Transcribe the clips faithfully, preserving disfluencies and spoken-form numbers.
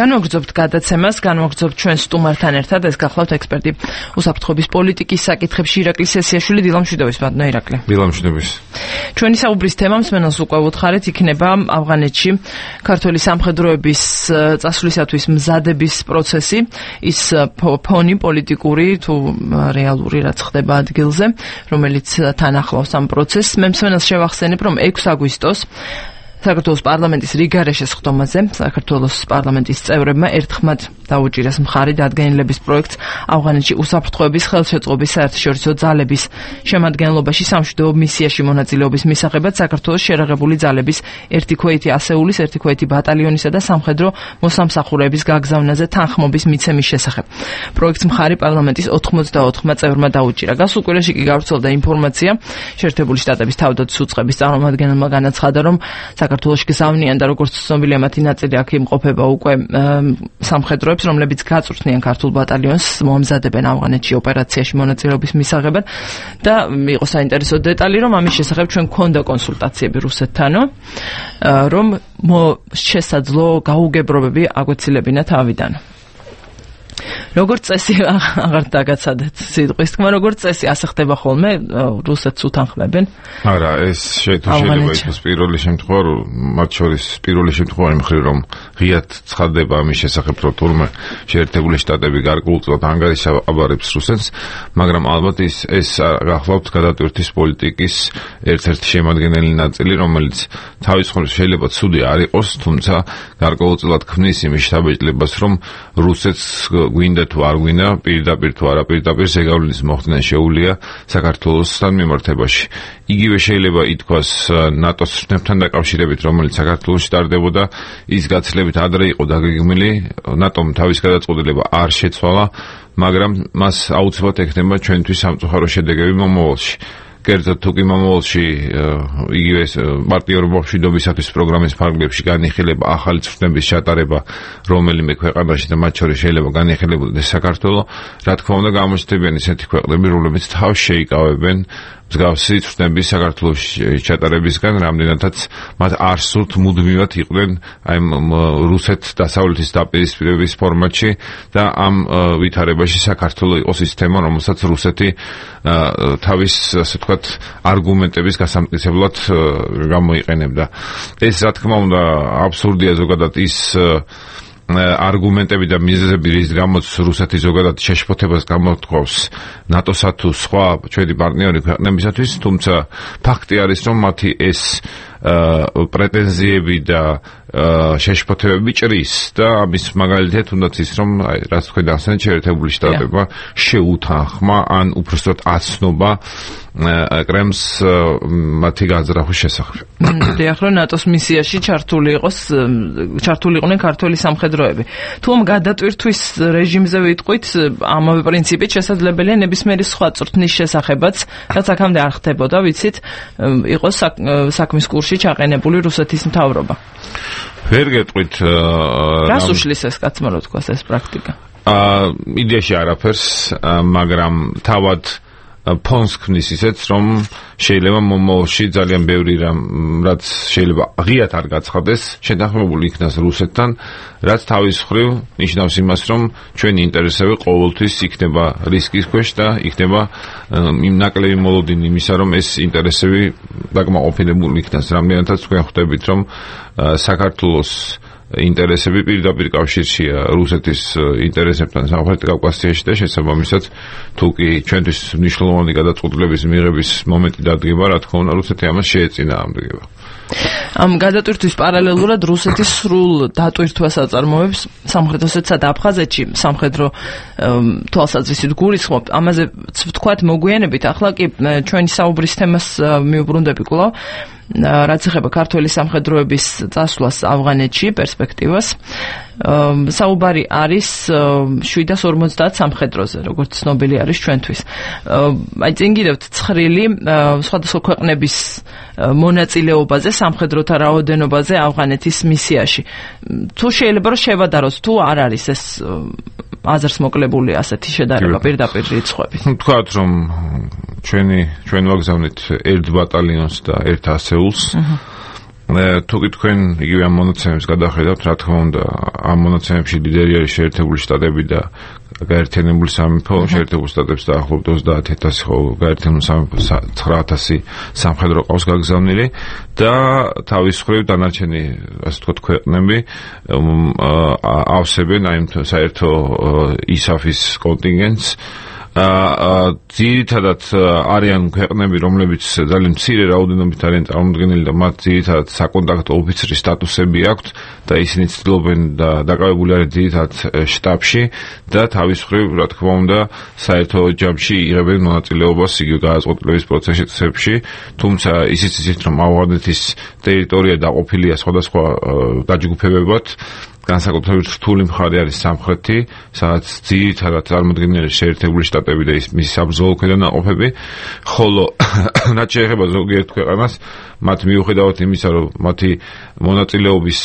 განვაგრძობთ გადაცემას, განვაგრძობთ ჩვენ სტუმართან ერთად, ეს გახლავთ ექსპერტი უსაფრთხოების პოლიტიკის საკითხებში ირაკლი სესიაშვილი. დილამშვიდობის ბატონო ირაკლი. დილამშვიდობის. ჩვენი საუბრის თემა მსმენელს უკვე უთხარით იქნება ავღანეთში ქართველი სამხედროების წასვლისათვის მზადების პროცესი, ის ფონი პოლიტიკური თუ რეალური რაც ხდება ადგილზე, რომელიც თან ახლავს ამ პროცესს. მე მსმენელს შევახსენებ, რომ ექვსი აგვისტოს საქართველოს პარლამენტის რიგარეშეს ხდომაზე საქართველოს პარლამენტის წევრებმა ერთხმად დაუჭირეს მხარი დადგენილების პროექტს ავღანეთში უსაფრთხოების ხელშეწყობის საერთაშორისო ძალების შემადგენლობაში სამშვიდობო მისიაში მონაწილეობის მისაღებად საქართველოს შერაღებული ძალების ერთი ქვეითი ასეულის, ერთი ქვეითი ბატალიონისა და სამხედრო მოსამსახურეების გაგზავნაზე თანხმობის მიცემის შესახებ. პროექტს მხარი პარლამენტის ოთხმოცდაოთხმა წევრმა დაუჭირა. გასულ კვირაში კი გავრცელდა ინფორმაცია, შეერთებული შტატების თავდაცვის უწყების წარმომადგენელმა განაცხადა, რომ საქართველოში გზავნიან და როგორც ცნობილია მათი ნაწილი აქ იმყოფება უკვე სამხედროებს, რომლებიც გაწვრთნიან ქართულ ბატალიონს, მოამზადებენ ავღანეთში ოპერაციაში მონაწილეობის მისაღებად და იყო საინტერესო დეტალი, რომ ამის შესახებ ჩვენ გქონდა კონსულტაციები რუსეთთანო, რომ შესაძლო გაუგებრობები აგვეცილებინა თავიდან. როგორც წესი აღარ დაგაცადეთ სიტყვის თქმა, როგორც წესი ასე ხდება ხოლმე, რუსეთს უთანხმებენ. არა, ეს შეიძლება იყოს პირველი შემთხვევა, მათ შორის პირველი შემთხვევა მხრივ, რომ ღიად ცხადდება ამის შესახებ, რომ თურმე შეერთებული შტატები გარკვეულწილად ანგარიშაბარებს რუსეთს, მაგრამ ალბათ ის ეს გახლავთ გადატვირთვის პოლიტიკის ერთ-ერთი შემადგენელი ნაწილი, რომელიც თავის მხრივ შეიძლება ცუდი არ იყოს, თუმცა გარკვეულწილად ქმნის იმის შთაბეჭდილებას, რომ რუსეთს გვინდა თუ არ გვინდა, პირდაპირ თუ არა პირდაპირ ზეგავლენის მოხდნა შეუძლია საქართველოსთან მიმართებაში. იგივე შეიძლება ითქვას ნატოს შტაბთან დაკავშირებით, რომელიც საქართველოში ტარდებოდა, ის გაცილებით ადრე იყო დაგეგმილი, ნატომ თავის გადაწყვეტილება არ შეცვალა, მაგრამ მას აუცილებლად ექნება ჩვენთვის სამწუხარო შედეგები მომავალში. კერძოდ თუ კი მომავალში იგივე პარტიორობა მშვიდობისათვის პროგრამის ფარგლებში განიხილება ახალი წვრთნების ჩატარება რომელიმე ქვეყანაში და მათ შორის შეიძლება განიხილებოდეს საქართველო, რა თქმა უნდა გამოჩნდებიან ისეთი ქვეყნები, რომლებიც თავს შეიკავებენ მსგავსი წვრთნების საქართველოს ჩატარებისგან, რამდენადაც მათ არ სურთ მუდმივად იყვნენ აი რუსეთ დასავლეთის დაპირისპირების ფორმატში და ამ ვითარებაში საქართველო იყოს ის თემა, რომელსაც რუსეთი თავის ასე ვთქვათ არგუმენტების გასამტკიცებლად გამოიყენებდა. ეს რა თქმა უნდა აბსურდია ზოგადად ის არგუმენტები და მიზეზები, რის გამოც რუსეთი ზოგადად შეშფოთებას გამოთქვავს ნატოსა თუ სხვა ჩვენი პარტნიორი ქვეყნებისათვის, თუმცა ფაქტი არის, რომ მათი ეს პრეტენზიები და შეშფოთებები ჭრის და ამის მაგალითად თუნდაც ის, რომ რაც თქვენ ახსენეთ, შეერთებული შტატებმა შეუთანხმა ან უბრალოდ აცნობა კრემლს მათი განზრახვის შესახებ. დიახ, რომ ნატოს მისიაში ჩართული იყოს, ჩართული იყვნენ ქართველი სამხედროები. თუ ამ გადატვირთვის რეჟიმზე ვიტყვით, ამავე პრინციპით შესაძლებელია ნებისმიერი სხვა წვრთნის შესახებაც, რაც აქამდე არ ხდებოდა, ვიცით, იყოს საქმის კურსში ჩაყენებული რუსეთის მთავრობა. ვერ გეტყვით რას უშლის ეს კაცმა, რო თქვას ეს პრაქტიკა? იდეაში არაფერს, მაგრამ თავად ფონს ქმნის ისეც, რომ შეიძლება მომავალში ძალიან ბევრი რამ, რაც შეიძლება ღიად არ გაცხადდეს, შეთანხმებული იქნას რუსეთთან, რაც თავის მხრივ ნიშნავს იმას, რომ ჩვენი ინტერესები ყოველთვის იქნება რისკის ქვეშ და იქნება იმ ნაკლები მოლოდინი იმისა, რომ ეს ინტერესები დაკმაყოფილებული იქნას. რამდენადაც თქვენ ხვდებით, რომ საქართველოს ინტერესები პირდაპირ კავშირშია რუსეთის ინტერესებთან სამხრეთ კავკასიაში და შესაბამისად თუ კი ჩვენთვის მნიშვნელოვანი გადაწყვეტილების მიღების მომენტი დადგება, რა თქმა უნდა რუსეთი ამას შეეწინააღმდეგება. ამ გადატვირთვის პარალელურად რუსეთის სრულ დატვირთვას აწარმოებს სამხრეთოსეთსა და აფხაზეთში სამხედრო თვალსაზრისით გულისხმობ. ამაზე ვთქვათ მოგვიანებით, ახლა კი ჩვენი საუბრის თემას მიუბრუნდები კვლავ. რაც ეხება ქართველი სამხედროების წასვლას ავღანეთში, პერსპექტივას. საუბარი არის შვიდას ორმოცდაათ სამხედროზე, როგორც ცნობილი არის ჩვენთვის. აი წინ კიდევთ ცხრილი სხვადასხვა ქვეყნების მონაწილეობაზე, სამხედროთა რაოდენობაზე ავღანეთის მისიაში. თუ შეიძლება რომ შევადაროთ, თუ არ არის ეს აზრს მოკლებული ასეთი შედარება პირდაპირ რიცხვებით. თქვათ რომ ჩვენი ჩვენ ვაგზავნით ერთ ბატალიონს და ერთ ასეულს. თუ კი თქვენ იგივე ამ მონაცემებს გადახედავთ, რა თქმა უნდა, ამ მონაცემებში ლიდერი არის შეერთებული შტატები და გაერთიანებული სამეფო, შეერთებულ შტატებს დაახლოებით ოცდაათ ათასი, ხო, გაერთიანებული სამეფო ცხრა ათასი სამხედრო ყავს გაგზავნილი და თავის მხრივ დანარჩენი, ასე ვთქვათ, ქვეყნები ავსებენ აი საერთო ისაფის კონტინგენტს. აა ძირითადად არიან ქვეყნები, რომლებიც ძალიან მცირე რაოდენობით არიან წარმოდგენილი და მათ ძირითადად საკონტაქტო ოფიცრის სტატუსები აქვთ და ისინი ცდილობენ და დაკავებული არიან ძირითადად შტაბში და თავის მხრივ, რა თქმა უნდა, საერთო ჯამში იღებენ მონაწილეობას იგივე გადაწყვეტილების პროცესებში, თუმცა ისიც იცით, რომ ავღანეთის ტერიტორია დაყოფილია სხვადასხვა დაჯგუფებებად. განსაკუთრებით რთული მხარე არის სამხრეთი, სადაც ძირითადად წარმოდგენილი შეერთებული შტატები და მისი საბრძოლო ქვედანაყოფები, ხოლო რაც შეეხება ზოგიერთ ქვეყანას, მათ მიუხედავად იმისა, რომ მათი მონაწილეობის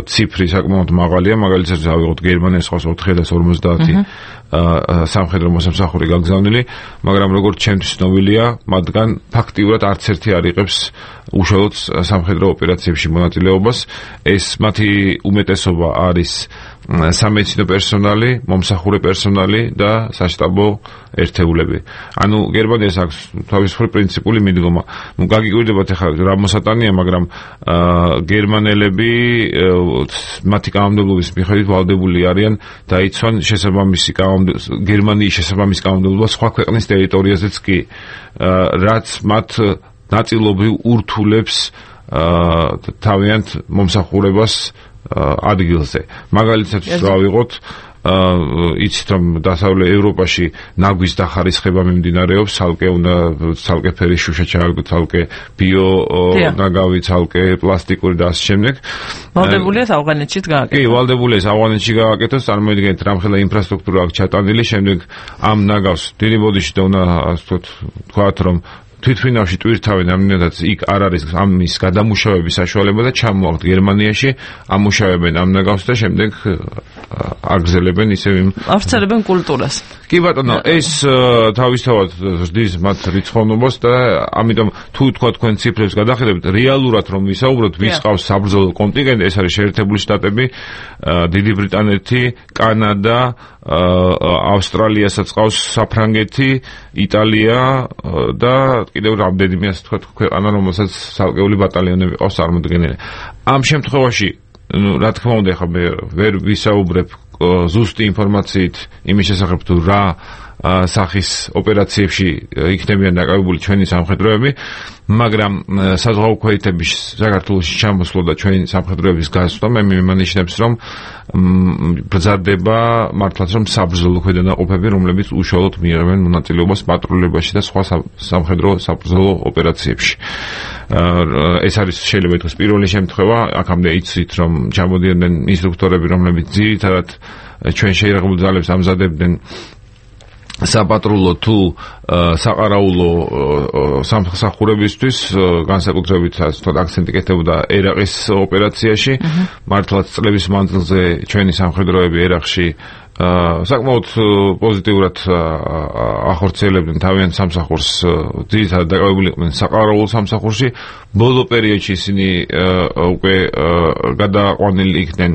ციფრი საკმაოდ მაღალია, მაგალითად, ავიღოთ გერმანიის ხავს ოთხი ათას ორმოცდაათი სამხედრო მოსამსახური გაგზავნილი, მაგრამ როგორც ჩემთვის ცნობილია, მათგან ფაქტიურად არც ერთი არ იღებს უშუალოდ სამხედრო ოპერაციებში მონაწილეობას. ეს მათი უმეტესობა არის სამედიცინო პერსონალი, მომსახურე პერსონალი და საშტაბო ერთეულები. ანუ გერმანიას აქვს თავისუფლი პრინციპული მიდგომა. ნუ გაგიკვირდებათ ახლა რა მოსატანია, მაგრამ გერმანელები მათი კანონმდებლობის მიხედვით ვალდებული არიან დაიცვან შესაბამისი გერმანიის შესაბამის კანონმდებლობა სხვა ქვეყნის ტერიტორიაზეც კი, რაც მათ ნაწილობრივ ურთულებს თავიანთ მომსახურებას ადგილზე. მაგალითად, რა ვიღოთ, იცით რომ დასავლეთ ევროპაში ნაგვის დახარისხება მიმდინარეობს, ცალკე უნდა ცალკე ფერის შუშა ჩააგდოთ, ცალკე ბიო ნაგავი, ცალკე პლასტიკური და ასე შემდეგ. ვალდებულია ავღანეთშიც გააკეთოს. კი, ვალდებულია ავღანეთში გააკეთოს, წარმოიდგინეთ რამხელა ინფრასტრუქტურა აქვს ჩატანილი, შემდეგ ამ ნაგავს დიდი ბოდიში და უნდა ასე ვთქვათ, რომ თვითმფრინავში ტვირთავენ, ამიტომაც იქ არ არის ამის გადამუშავების საშუალება და ჩამოაყთ გერმანიაში, ამუშავებენ ამ ნაგავს და შემდეგ აგზელებენ ისევ იმ ავრცელებენ კულტურას. კი ბატონო, ეს თავისთავად ზრდის მათ რიცხოვნობას და ამიტომ თუ თქვა თქვენ ციფრებს გადახედებთ, რეალურად რომ ვისაუბროთ, ვის ყავს საბრძოლო კონტინგენტი, ეს არის შეერთებული შტატები, დიდი ბრიტანეთი, კანადა, ავსტრალიასაც ყავს საფრანგეთი, იტალია და კიდევ რამდენიმე ასე ვთქვათ ქვეყანა, რომელსაც ცალკეული ბატალიონები ყავს წარმოდგენილი. ამ შემთხვევაში, ну, რა თქმა უნდა, ხა მე ვერ ვისაუბრებ ზუსტი ინფორმაციით იმის შესახებ თუ რა სახის ოპერაციებში იქნებიან დაკავებული ჩვენი სამხედროები, მაგრამ საზღვაო ქვეითების საქართველოში ჩამოსვლა და ჩვენი სამხედროების გასვლა მე მიმანიშნებს, რომ ბრძადება მართლაც რომ საბრძოლო ქვედანაყოფები, რომლებიც უშუალოდ მიიღებენ მონაწილეობას პატრულებაში და სხვა სამხედრო საბრძოლო ოპერაციებში. ეს არის შეიძლება ითქვას პირველი შემთხვევა, აქამდე იცით რომ ჩამოდიოდნენ ინსტრუქტორები, რომლებიც ძირითადად ჩვენ შეიარაღებულ ძალებს ამზადებდნენ საპატრულო თუ საყარაულო სამსახურებისთვის, განსაკუთრებით ასე ვთქვათ აქცენტი კეთდებოდა ერაყის ოპერაციაში. მართლაც წლების მანძილზე ჩვენი სამხედროები ერაყში საკმაოდ პოზიტიურად ახორციელებდნენ თავიანთ სამსახურს, ძირითადად დაკავებული იყვნენ საყარაულო სამსახურში. ბოლო პერიოდში ისინი უკვე გადაყვანილი იქნენ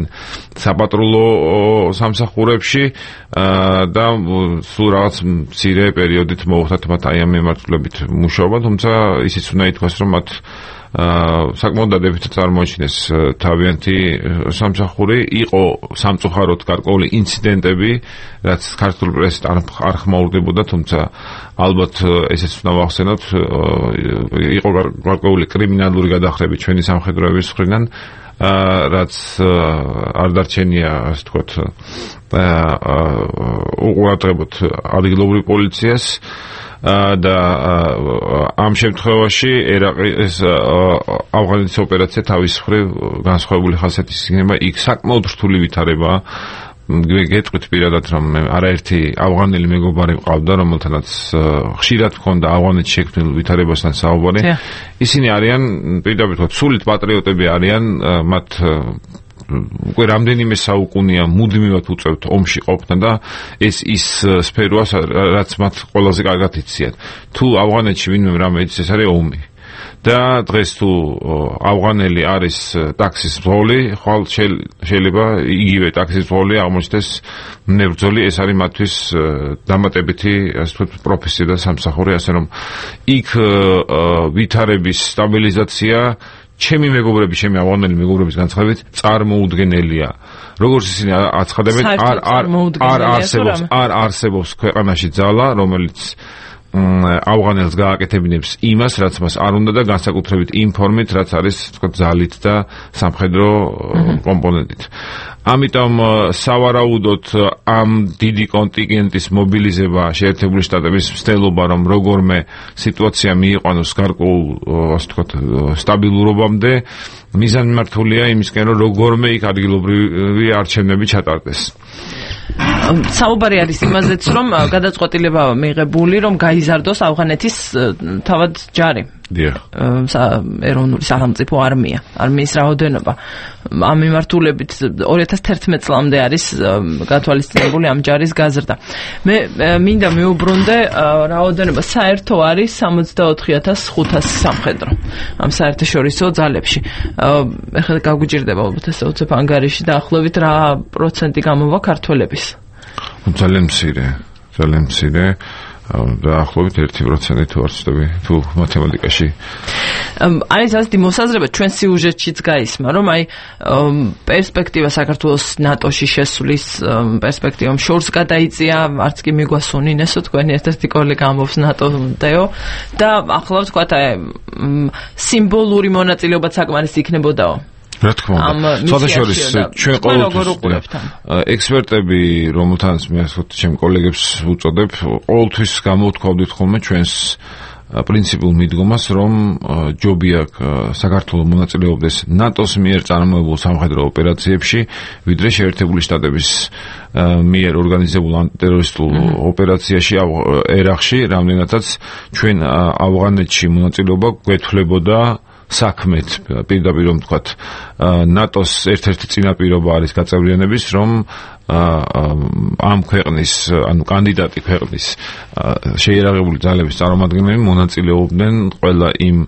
საპატრულო სამსახურებში და სულ რაღაც მცირე პერიოდით მოუხდათ მათ აი ამ მიმართულებით მუშაობა, თუმცა ისიც უნდა ითქვას, რომ მათ საკმაოდ დადებითად წარმოაჩინეს თავიანთი სამსახური. იყო სამწუხაროდ გარკვეული ინციდენტები, რაც ქართულ პრესით არ ხმაურდებოდა, თუმცა ალბათ ესეც უნდა ვახსენოთ, იყო გარკვეული კრიმინალური გადახრები ჩვენი სამხედროების მხრიდან, რაც არ დარჩენია, ასე ვთქვათ, უყურადღებოთ ადგილობრივ პოლიციას. და ამ შემთხვევაში ერაყის ავღანეთის ოპერაცია თავის მხრივ განსხვავებული ხასიათის იქნება. იქ საკმაოდ რთული ვითარებაა. გეტყვით პირადად, რომ არაერთი ავღანელი მეგობარი მყავდა, რომელთანაც ხშირად მქონდა ავღანეთში შექმნილ ვითარებასთან საუბარი. ისინი არიან პირდაპირ ვთქვათ, სულით პატრიოტები არიან, მათ უკვე რამდენიმე საუკუნეა მუდმივად უწევთ ომში ყოფნა და ეს ის სფეროა, რაც მათ ყველაზე კარგად იციან. თუ ავღანეთში ვინმე რამე იცის, ეს არის ომი. და დღეს თუ ავღანელი არის ტაქსის მძღოლი, ხვალ შეიძლება იგივე ტაქსის მძღოლი აღმოჩნდეს მებრძოლი, ეს არის მათთვის დამატებითი, ასე ვთქვათ, პროფესია და სამსახური, ასე რომ იქ ვითარების სტაბილიზაცია ჩემი მეგობრები, ჩემი ავღანელი მეგობრების განცხადებით წარმოუდგენელია. როგორც ისინი აცხადებენ, არ არ არ არსებობს, არ არსებობს ქვეყანაში ძალა, რომელიც ავღანელს გააკეთებინებს იმას, რაც მას არ უნდა და განსაკუთრებით იმ ფორმით, რაც არის, თქვა, ძალით და სამხედრო კომპონენტით. ამიტომ სავარაუდოდ ამ დიდი კონტინგენტის მობილიზება შეერთებული შტატების მცდელობა, რომ როგორმე სიტუაცია მიიყვანოს გარკვეულ, ასე ვთქვათ, სტაბილურობამდე, მიზანმიმართულია იმისკენ, რომ როგორმე იქ ადგილობრივი არჩევნები ჩატარდეს. საუბარი არის იმაზეც, რომ გადაწყვეტილება მიღებული, რომ გაიზარდოს ავღანეთის თავად ჯარი. დიახ. ეროვნული სახელმწიფო არმია, არმიის რაოდენობა. ამ მიმართულებით ორი ათას თერთმეტ წლამდე არის გათვალისწინებული ამ ჯარის გაზრდა. მე მინდა მიუბრუნდე, რაოდენობა საერთო არის სამოცდაოთხი ათას ხუთასი სამხედრო ამ საერთაშორისო ძალებში. ეხლა გაგვიჭირდება ალბათ ესე უცებ ანგარიში დაახლოებით რა პროცენტი გამოვა ქართველების? ძალიან მცირე, ძალიან მცირე. დაახლოებით ერთი პროცენტი თუ არ ვცდები, თუ მათემატიკაში. არის ასეთი მოსაზრება ჩვენ სიუჟეტშიც გაისმა, რომ აი პერსპექტივა საქართველოს ნატოში შესვლის პერსპექტივამ შორს გადაიწია, არც კი მიგვასუნინესო თქვენი ერთ-ერთი კოლეგა ამბობს ნატო-დეო და ახლა ვთქვათ აი სიმბოლური მონაწილეობაც საკმარისი იქნებოდაო. რა თქმა უნდა, სხვადასხვის ჩვენ ყოველთვის ექსპერტები, რომელთანაც მე ასეთ ჩემ კოლეგებს უწოდებ, ყოველთვის გამოვთქვავდით ხოლმე ჩვენს პრინციპულ მიდგომას, რომ ჯობია საქართველოს მონაწილეობდეს ნატოს მიერ წარმოებულ სამხედრო ოპერაციებში, ვიდრე შეერთებული შტატების მიერ ორგანიზებულ ანტიტერორისტულ ოპერაციაში ერახში, რამდენადაც ჩვენ ავღანეთში მონაწილეობა გვეთვლებოდა საქმეთ, პირდაპირ რომ ვთქვათ, ნატოს ერთ-ერთი წინაპირობა არის გაწევრიანების, რომ ამ ქვეყნის, ანუ კანდიდატი ქვეყნის შეიარაღებული ძალების წარმომადგენლები მონაწილეობდნენ ყველა იმ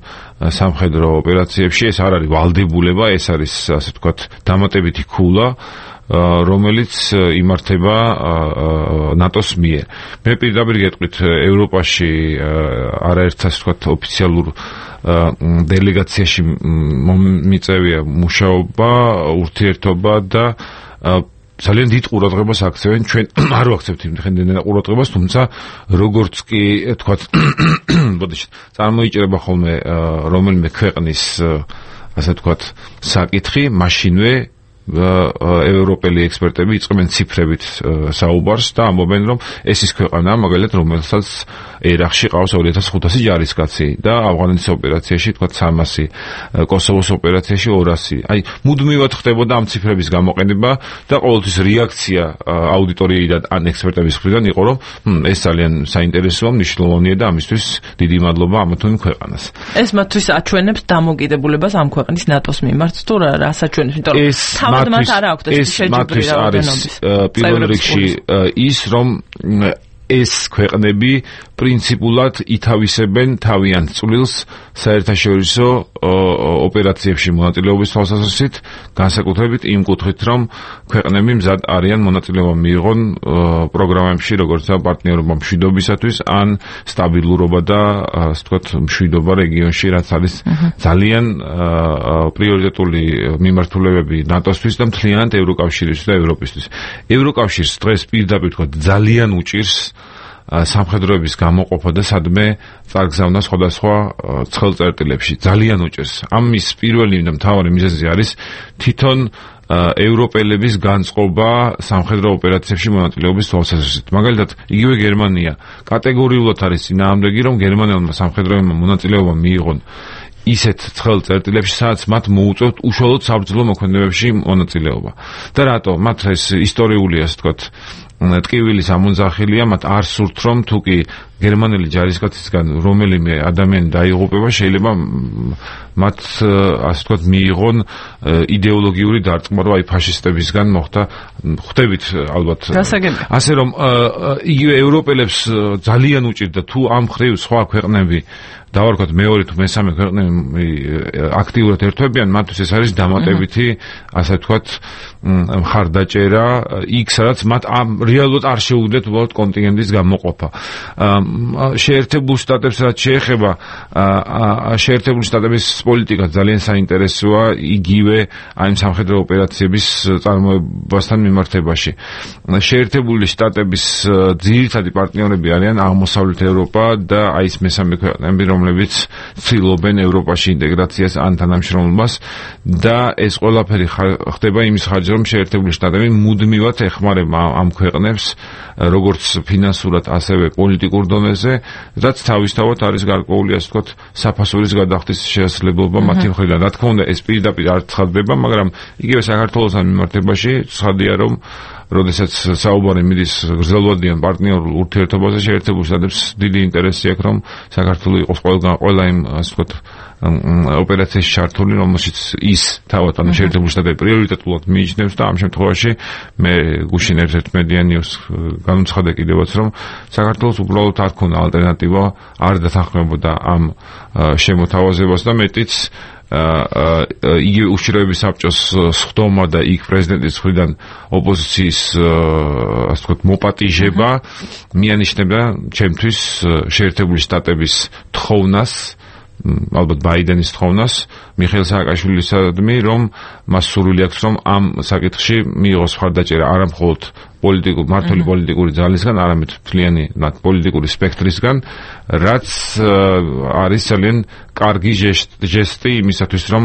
სამხედრო ოპერაციებში. ეს არ არის ვალდებულება, ეს არის, ასე ვთქვათ, დამატებითი ქულა, რომელიც იმართება ნატოს მიერ. მე პირდაპირ გეტყვით, ევროპაში არაერთ, ასე ვთქვათ, ოფიციალურ დელეგაციაში მიწევია მუშაობა, ურთიერთობა და ძალიან დიდ ყურადღებას აქცევენ. ჩვენ არ ვაქცევთ იმდენად ყურადღებას, თუმცა როგორც კი თქვათ, ბოდიშით, წარმოიჭრება ხოლმე რომელიმე ქვეყნის, ასე ვთქვათ, საკითხი, მაშინვე ევროპელი ექსპერტები იწყებენ ციფრებით საუბარს და ამბობენ, რომ ეს ის ქვეყანაა, მაგალითად, რომელსაც ერახში ყავს ორი ათას ხუთასი ჯარისკაცი და ავღანეთის ოპერაციაში, თქვა სამასი, კოსოვოს ოპერაციაში ორასი. აი, მუდმივად ხდებოდა ამ ციფრების გამოყენება და ყოველთვის რეაქცია აუდიტორიიდან ან ექსპერტების მხრიდან იყო, რომ ეს ძალიან საინტერესოა, მნიშვნელოვანია და ამისთვის დიდი მადლობა ამ თუ იმ ქვეყანას. ეს მათთვის აჩვენებს დამოკიდებულებას ამ ქვეყნის ნატოს მიმართ თუ რა საჩვენებს, იმიტომ რომ მათთვის ეს მათთვის არის პირველ რიგში ის, რომ ეს ქვეყნები პრინციპულად ითავისებენ თავიანთ წვლილს საერთაშორისო ოპერაციებში მონაწილეობის თვალსაზრისით, განსაკუთრებით იმ კუთხით, რომ ქვეყნები მზად არიან მონაწილეობა მიიღონ პროგრამებში, როგორიცაა პარტნიორობა მშვიდობისათვის, ან სტაბილურობა და, ასე ვთქვათ, მშვიდობა რეგიონში, რაც არის ძალიან პრიორიტეტული მიმართულებები ნატოსთვის და მთლიანად ევროკავშირისთვის და ევროპისთვის. ევროკავშირს დღეს პირდაპირ ვთქვათ, ძალიან უჭირს სამხედროების გამოყოფა და სადმე წარგზავნა სხვადასხვა ცხელწერტილებში. ძალიან უჭირს. ამის პირველი და მთავარი მიზეზი არის თვითონ ევროპელების განწყობა სამხედრო ოპერაციებში მონაწილეობის თვალსაზრისით. მაგალითად, იგივე გერმანია კატეგორიულად არის წინააღმდეგი, რომ გერმანელმა სამხედროებმა მონაწილეობა მიიღონ ისეთ ცხელ წერტილებში, სადაც მათ მოუწევთ უშუალოდ საბრძოლო მოქმედებებში მონაწილეობა. და რატო? მათ ეს ისტორიული, ასე ვთქვათ, ტკივილის ამონძახილია, მათ არ სურთ, რომ თუკი გერმანელი ჯარისკაცისგან რომელიმე ადამიანი დაიღუპება, შეიძლება მათ ასე ვთქვათ მიიღონ იდეოლოგიური დარწმუნება აი ფაშისტებისგან მოხდა ხვდებით ალბათ ასე რომ იგივე ევროპელებს ძალიან უჭირდა თუ ამ ხრივ სხვა ქვეყნები დავარქვათ მეორე თუ მესამე ქვეყნები აქტიურად ერთვებიან მათთვის ეს არის დამატებითი ასე ვთქვათ მხარდაჭერა იქ სადაც მათ ამ რეალურად არ შეუძლიათ უბრალოდ კონტინგენტის გამოყოფა შეერთებულ შტატებს რაც შეეხება შეერთებული შტატების პოლიტიკა ძალიან საინტერესოა იგივე აი სამხედრო ოპერაციების წარმოებასთან მიმართებაში შეერთებული შტატების ძირითადი პარტნიორები არიან აღმოსავლეთ ევროპა და აი ეს მესამე ქვეყნები რომლებიც ცდილობენ ევროპაში ინტეგრაციას ან თანამშრომლობას და ეს ყველაფერი ხდება იმის ხარჯზე რომ შეერთებული შტატები მუდმივად ეხმარება ამ ქვეყნებს როგორც ფინანსურად ასევე პოლიტიკურ დონეზე რაც თავისთავად არის გარკვეული ასე ვთქვათ საფასურის გადახდის შესაძლებლობა მათი მხრიდან რა თქმა უნდა ეს პირდაპირ არ ცხადდება მაგრამ იგივე საქართველოსთან მიმართებაში ცხადია რომ როდესაც საუბარი მიდის გრძელვადიან პარტნიორულ ურთიერთობაზე შეერთებულ შტატებს დიდი ინტერესი აქვს რომ საქართველო იყოს ყველგან ყველა იმ ასე ვთქვათ ოპერაციაში ჩართული რომელშიც ის თავად ანუ შეერთებული შტატები პრიორიტეტულად მიიჩნევს და ამ შემთხვევაში მე გუშინ ერთ-ერთ მედია ნიუს განუცხადე კიდევაც რომ საქართველოს უბრალოდ არ ქონა ალტერნატივა არ დათანხმებოდა ამ შემოთავაზებას და მეტიც იგივე უშიშროების საბჭოს სხდომა და იქ პრეზიდენტის მხრიდან ოპოზიციის ასე ვთქვათ მოპატიჟება მიანიშნებდა ჩემთვის შეერთებული შტატების თხოვნას ალბათ ბაიდენის თხოვნას მიხეილ სააკაშვილისადმი რომ მას სურვილი აქვს რომ ამ საკითხში მიიღოს მხარდაჭერა არა მხოლოდ პოლიტიკურ მართული პოლიტიკური ძალისგან არამედ მთლიანი პოლიტიკური სპექტრისგან რაც არის ძალიან კარგი ჟესტი იმისათვის რომ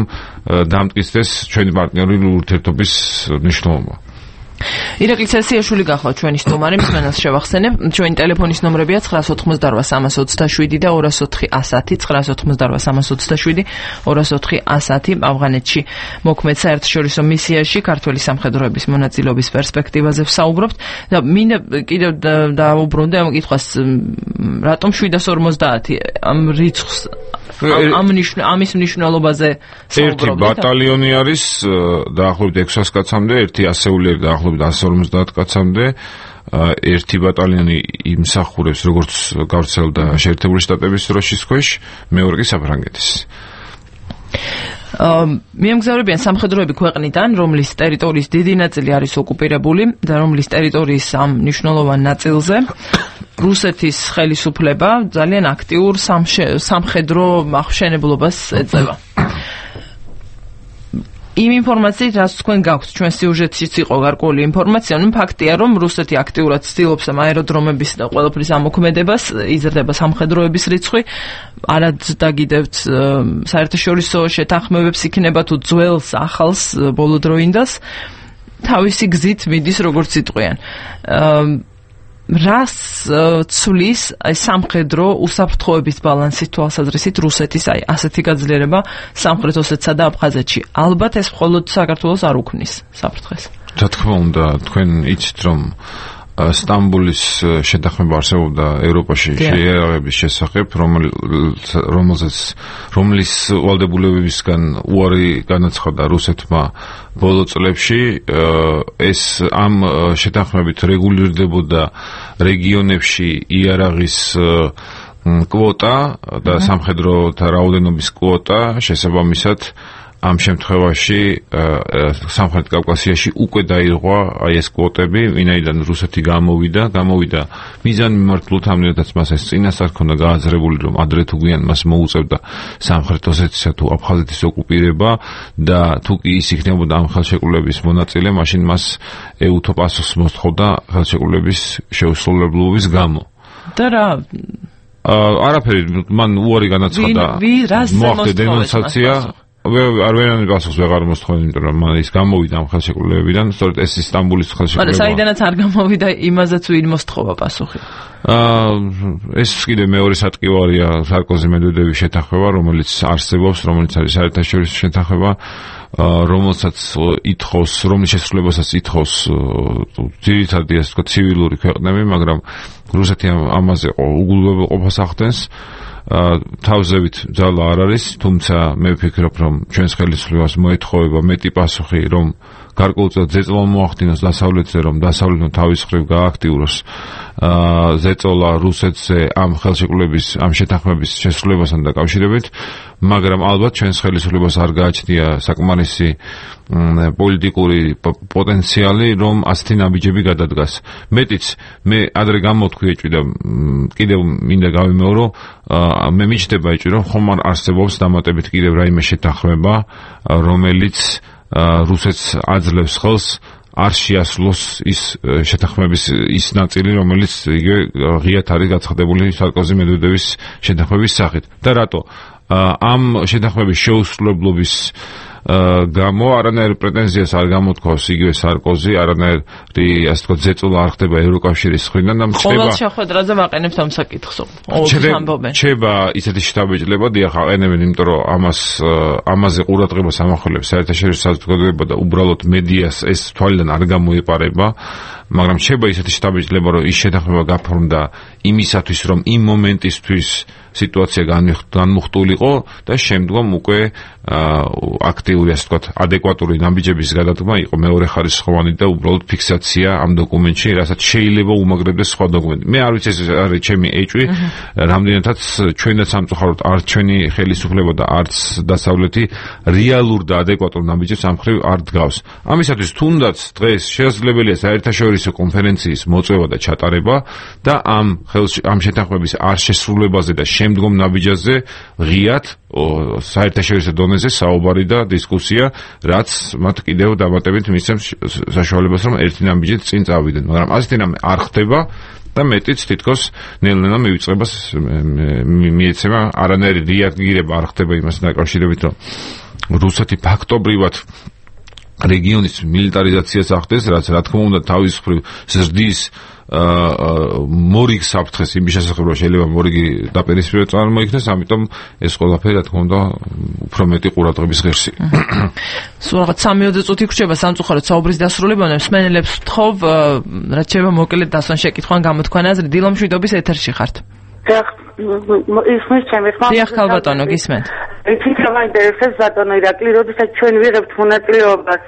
დამტკიცდეს ჩვენი პარტნიორული ურთიერთობის მნიშვნელობა ირაკლი ცესიაშვილი გახლავთ ჩვენი სტუმარი, მსმენელს შევახსენებ. ჩვენი ტელეფონის ნომრებია nine eighty-eight სამას ოცდაშვიდი და two four one zero nine eighty-eight სამას ოცდაშვიდი two four one zero ავღანეთში მოქმედ საერთაშორისო მისიაში ქართველი სამხედროების მონაწილეობის პერსპექტივაზე ვსაუბრობთ და მინდა კიდევ დაუბრუნდე ამ კითხვას რატომ seven fifty ამ რიცხვს ამ ამის მნიშვნელობაზე საუბრობთ. ერთი ბატალიონი არის დაახლოებით six hundred კაცამდე, ერთი ასეულერი დაახლოებით one forty კაცამდე, ერთი ბატალიონი იმსახურებს როგორც გავრცელდა შეერთებული შტატების დროშის ქვეშ, მეორე კი საფრანგეთის. მიემგზავრებიან სამხედროები ქვეყნიდან, რომლის ტერიტორიის დიდი ნაწილი არის ოკუპირებული და რომლის ტერიტორიის ამ მნიშვნელოვან ნაწილზე რუსეთის ხელისუფლება ძალიან აქტიურ სამხედრო აღმშენებლობას ეწევა. იმ ინფორმაციით, რაც თქვენ გაქვთ, ჩვენ სიუჟეტშიც იყო გარკვეული ინფორმაცია, ნუ ფაქტია, რომ რუსეთი აქტიურად ცდილობს ამ აეროდრომების და ყველაფრის ამოქმედებას, იზრდება სამხედროების რიცხვი, არადაგიდევთ საერთაშორისო შეთანხმებებს იქნება თუ ძველს, ახალს, ბოლოდროინდას, თავისი გზით მიდის როგორც იტყვიან. რას ცვლის აი სამხედრო უსაფრთხოების ბალანსის თვალსაზრისით რუსეთის აი ასეთი გაძლიერება სამხრეთ ოსეთსა და აფხაზეთში ალბათ ეს მხოლოდ საქართველოს არ უქმნის საფრთხეს. რა თქმა უნდა, თქვენ იცით რომ სტამბოლის შეთანხმება არსებობდა ევროპაში შეიარაღების შესახებ, რომელზეც რომლის ვალდებულებებისგან უარი განაცხადა რუსეთმა ბოლო წლებში, ეს ამ შეთანხმებით რეგულირდებოდა რეგიონებში იარაღის კვოტა და სამხედროთა რაოდენობის კვოტა, შესაბამისად ამ შემთხვევაში სამხრეთ კავკასიაში უკვე დაირღვა აი ეს კვოტები, ვინაიდან რუსეთი გამოვიდა, გამოვიდა მიზანმიმართულად ამნედაც მას ეს წინასწარ ქონდა გააზრებული, რომ ადრე თუ გვიან მას მოუწევდა სამხრეთ ოსეთისა თუ აფხაზეთის ოკუპირება და თუ კი ის იქნებოდა ამ ხელშეკრულების მონაწილე, მაშინ მას ეუთო პასუხს მოსთხოვდა ხელშეკრულების შეუსრულებლობის გამო. და რა არაფერი, მან უარი განაცხადა, მოახდა დენონსაცია არ ვერანაირ პასუხს ვეღარ მოსთხოვენ, იმიტომ რომ მან ის გამოვიდა ამ ხელშეკრულებებიდან, სწორედ ეს სტამბოლის ხელშეკრულება. მაგრამ საიდანაც არ გამოვიდა, იმაზეც ვინ მოსთხოვა პასუხი? აა ეს კიდე მეორე სატკივარია სარკოზი-მედვედევის შეთანხმება, რომელიც არსებობს, რომელიც არის საერთაშორისო შეთანხმება, რომელსაც ითხოვს, რომლის შესრულებასაც ითხოვს ძირითადად ასე ვთქვათ ცივილური ქვეყნები, მაგრამ რუსეთი ამაზე უგულებელ ყოფას ახდენს. თავზევით ძალა არ არის, თუმცა მე ვფიქრობ, რომ ჩვენს ხელისუფლებას მოეთხოვება მეტი პასუხი, რომ გარკვეულწილად ზეწოლა მოახდინოს დასავლეთზე, რომ დასავლეთმა თავის მხრივ გააქტიუროს ზეწოლა რუსეთზე ამ ხელშეკრულების, ამ შეთანხმების შესრულებასთან დაკავშირებით, მაგრამ ალბათ ჩვენს ხელისუფლებას არ გააჩნია საკმარისი პოლიტიკური პოტენციალი, რომ ასეთი ნაბიჯები გადადგას. მეტიც, მე ადრე გამოვთქვი და კიდევ მინდა გავიმეორო, მე მიჩნდება ეჭვი, რომ ხომ არ არსებობს დამატებით კიდევ რაიმე შეთანხმება, რომელიც რუსეთს აძლევს ხელს არ შეასრულოს ის შეთანხმების ის ნაწილი, რომელიც იგივე ღიად არის გაცხადებული სარკოზი-მედვედევის შეთანხმების სახით. და რატო? ამ შეთანხმების შეუსრულებლობის გამო არანაირ პრეტენზიას არ გამოთქვავს იგივე სარკოზი, არანაირი ასე ვთქვათ ზეწოლა არ ხდება ევროკავშირის მხრიდან და მრჩება ყოველ შეხვედრაზე ვაყენებთ ამ საკითხს. რჩება ისეთი შთაბეჭდილება, დიახ, აყენებენ, იმიტომ რომ ამას ამაზე ყურადღებას ამახვილებს საერთაშორისო საზოგადოება და უბრალოდ მედიას ეს თვალიდან არ გამოეპარება, მაგრამ რჩება ისეთი შთაბეჭდილება, რომ ის შეთანხმება გაფორმდა იმისათვის, რომ იმ მომენტისთვის სიტუაცია განმუხტულიყო და შემდგომ უკვე აქტიური, ასე ვთქვათ, ადეკვატური ნაბიჯების გადადგმა იყო მეორე ხარისხოვანი და უბრალოდ ფიქსაცია ამ დოკუმენტში, რასაც შეიძლება უმაგრებდეს სხვა დოკუმენტი. მე არ ვიცი, ეს არის ჩემი ეჭვი, რამდენადაც ჩვენ და სამწუხაროდ არც ჩვენი ხელისუფლება და არც დასავლეთი რეალურ და ადეკვატურ ნაბიჯებს ამ მხრივ არ დგავს. ამისათვის თუნდაც დღეს შესაძლებელია საერთაშორისო კონფერენციის მოწვევა და ჩატარება და ამ ამ შეთანხმების არ შესრულებაზე და შემდგომ ნაბიჯაზე ღიად საერთაშორისო დონეზე საუბარი და დისკუსია, რაც მათ კიდევ დამატებით მისცემს საშუალებას, რომ ერთი ნაბიჯით წინ წავიდნენ, მაგრამ ასეთი რამე არ ხდება და მეტიც თითქოს ნელ-ნელა მივიწყებას მიეცემა, არანაირი რეაგირება არ ხდება იმასთან დაკავშირებით, რომ რუსეთი ფაქტობრივად რეგიონის მილიტარიზაციას ახდენს, რაც რა თქმა უნდა თავის მხრივ ზრდის მორიგს საფრთხეს იმის შესახებ, რომ შეიძლება მორიგი დაპირისპირება წარმოიქნეს, ამიტომ ეს ყველაფერი რა თქმა უნდა უფრო მეტი ყურადღების ღირსია. სულ რაღაც სამი წუთი გრჩება სამწუხაროდ საუბრის დასრულებამდე. მსმენელებს ვთხოვ, რაც შეიძლება მოკლედ დასვან შეკითხვან გამოთქვან აზრი. დილო მშვიდობის ეთერში ხართ. ისმის ჩემს ხმა. დიახ, ხალბატონო, გისმენთ. ეთიკა მაინტერესებს ბატონო ირაკლი, როდესაც ჩვენ ვიღებთ მონაწილეობას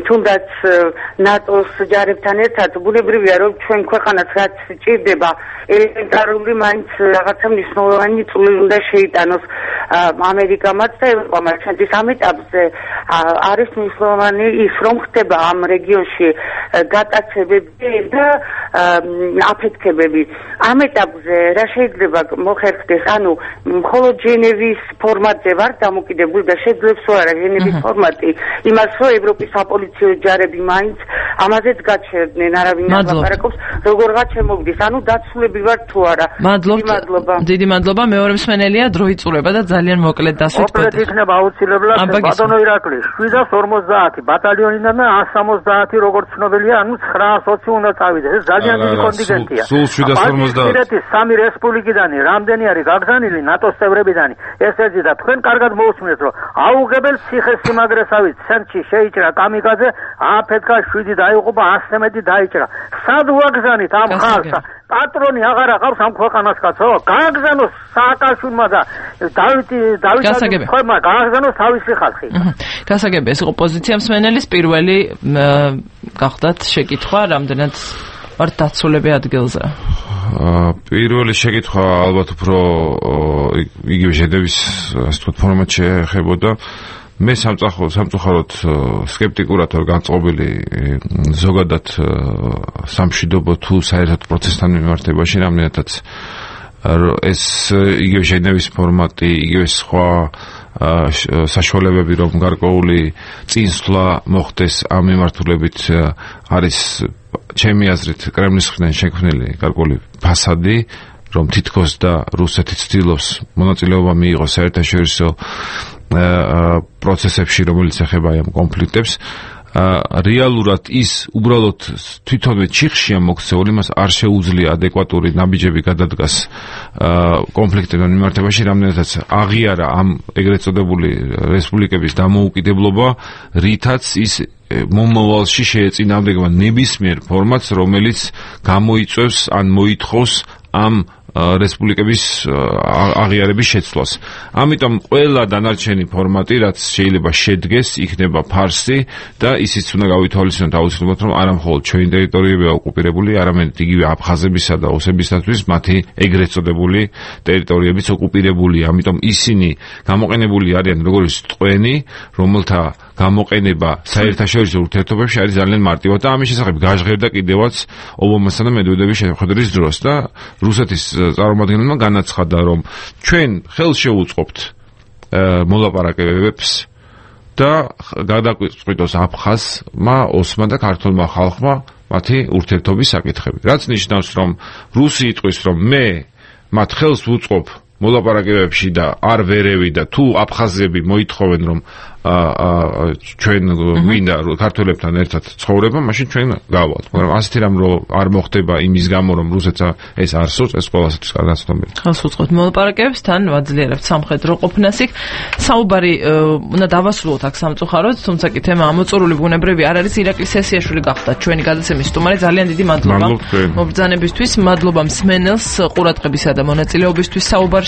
თუნდაც ნატოს ჯარებთან ერთად, ბუნებრივია, რომ ჩვენ ქვეყანას რაც ჭირდება, ელემენტარული მაინც რაღაცა მნიშვნელოვანი წვლილი უნდა შეიტანოს ამერიკამაც და ევროპამაც. ჩვენთვის ამ ეტაპზე არის მნიშვნელოვანი ის, რომ ხდება ამ რეგიონში გატაცებები და აფეთქებები. ამ ეტაპზე რა შეიძლება მოხერხდეს, ანუ მხოლოდ ჟენევის ფორმატზე ვარ დამოკიდებული და შეძლებს თუ არა ჟენევის ფორმატი იმას, რომ ევროპის საპოლიციო ჯარები მაინც ამაზეც გაჩერდნენ, არავინ არ ლაპარაკობს, როგორღაც შემოგდის, ანუ დაცულები ვარ თუ არა. მადლობა. დიდი მადლობა. მეორე მსმენელია, დრო იწურება და ძალიან მოკლედ დასვით. მოკლედ იქნება აუცილებლად ბატონო ირაკლი, შვიდას ორმოცდაათი ბატალიონიდან და ას სამოცდაათი როგორც ცნობილია, ანუ ცხრაას ოცი უნდა წავიდეს. ეს ძალიან დიდი კონტინგენტია. სულ შვიდას ორმოცდაათი. სამი რესპუბლიკიდან რამდენი არის გაგზავნილი ნატოს წევრებიდან. ეს ეძი და თქვენ კარგად მოусმინეთ, რომ აუღებელ ციხესიმაგრესავით ცენტრში შეიჭრა კამიკაძე, აფეთქა შვიდი დაიღუპა, ასზე მეტი დაიჭრა. სად ვაგზავნით ამ ხალხს? პატრონი აღარ აყავს ამ ქვეყანას კაცო. გააგზავნოს სააკაშვილმა და დავითი დავითი ხომა გააგზავნოს თავისი ხალხი. გასაგები, ეს იყო პოზიცია მსმენელის. პირველი გახდათ შეკითხვა, რამდენად ვართ დაცულები ადგილზე? პირველი შეკითხვა ალბათ უფრო იგივე ჟენევის ასე ვთქვათ ფორმატში ეხებოდა. მე სამწუხაროდ სკეპტიკურად ვარ განწყობილი ზოგადად სამშვიდობო თუ საერთოდ პროცესთან მიმართებაში, რამდენადაც ეს იგივე ჟენევის ფორმატი, იგივე სხვა საშუალებები, რომ გარკვეული წინსვლა მოხდეს ამ მიმართულებით, არის ჩემი აზრით კრემლის მხრიდან შექმნილი გარკვეული ფასადი, რომ თითქოს და რუსეთი ცდილობს მონაწილეობა მიიღოს საერთაშორისო პროცესებში, რომელიც ეხება ამ კონფლიქტებს. რეალურად ის უბრალოდ თვითონვე ჩიხშია მოქცეული, მას არ შეუძლია ადეკვატური ნაბიჯები გადადგას კონფლიქტებთან მიმართებაში, რამდენადაც აღიარა ამ ეგრეთ წოდებული რესპუბლიკების დამოუკიდებლობა, რითაც ის მომავალში შეეწინააღმდეგება ნებისმიერ ფორმატს, რომელიც გამოიწვევს ან მოითხოვს ამ რესპუბლიკების აღიარების შეცვლას. ამიტომ ყველა დანარჩენი ფორმატი, რაც შეიძლება შედგეს, იქნება ფარსი და ისიც უნდა გავითვალისწინოთ აუცილებლად, რომ არა მხოლოდ ჩვენი ტერიტორიებია ოკუპირებული, არამედ იგივე აფხაზებისა და ოსებისათვის მათი ეგრეთ წოდებული ტერიტორიებიც ოკუპირებულია. ამიტომ ისინი გამოყენებული არიან როგორც ტყვენი, რომელთა გამოყენება საერთაშორისო ურთიერთობებში არის ძალიან მარტივად და ამის შესახებ გაჟღერდა კიდევაც ობამასა და მედვედევის შეხვედრის დროს და რუსეთის წარმომადგენელმა განაცხადა, რომ ჩვენ ხელს შევუწყობთ მოლაპარაკებებს და გადაგვიწყვიტოს აფხაზმა, ოსმა და ქართულმა ხალხმა მათი ურთიერთობის საკითხები. რაც ნიშნავს, რომ რუსი იტყვის, რომ მე მათ ხელს ვუწყობ მოლაპარაკებებში და არ ვერევი და თუ აფხაზები მოითხოვენ, რომ ჩვენ მინდა ქართველებთან ერთად ცხოვრება, მაშინ ჩვენ გავალთ. მაგრამ ასეთი რამ რო არ მოხდება იმის გამო, რომ რუსეთს ეს არ სურს, ეს ყველასათვის კარგად ცნობილია. ხელს უწყობთ მოლაპარაკებებს, თან ვაძლიერებთ სამხედრო ყოფნას იქ. საუბარი უნდა დავასრულოთ აქ სამწუხაროდ, თუმცა კი თემა ამოწურული ბუნებრივი არ არის. ირაკლი სესიაშვილი გახდათ ჩვენი გადაცემის სტუმარი. ძალიან დიდი მადლობა მობრძანებისთვის, მადლობა მსმენელს ყურადღებისა და მონაწილეობისთვის საუბარში.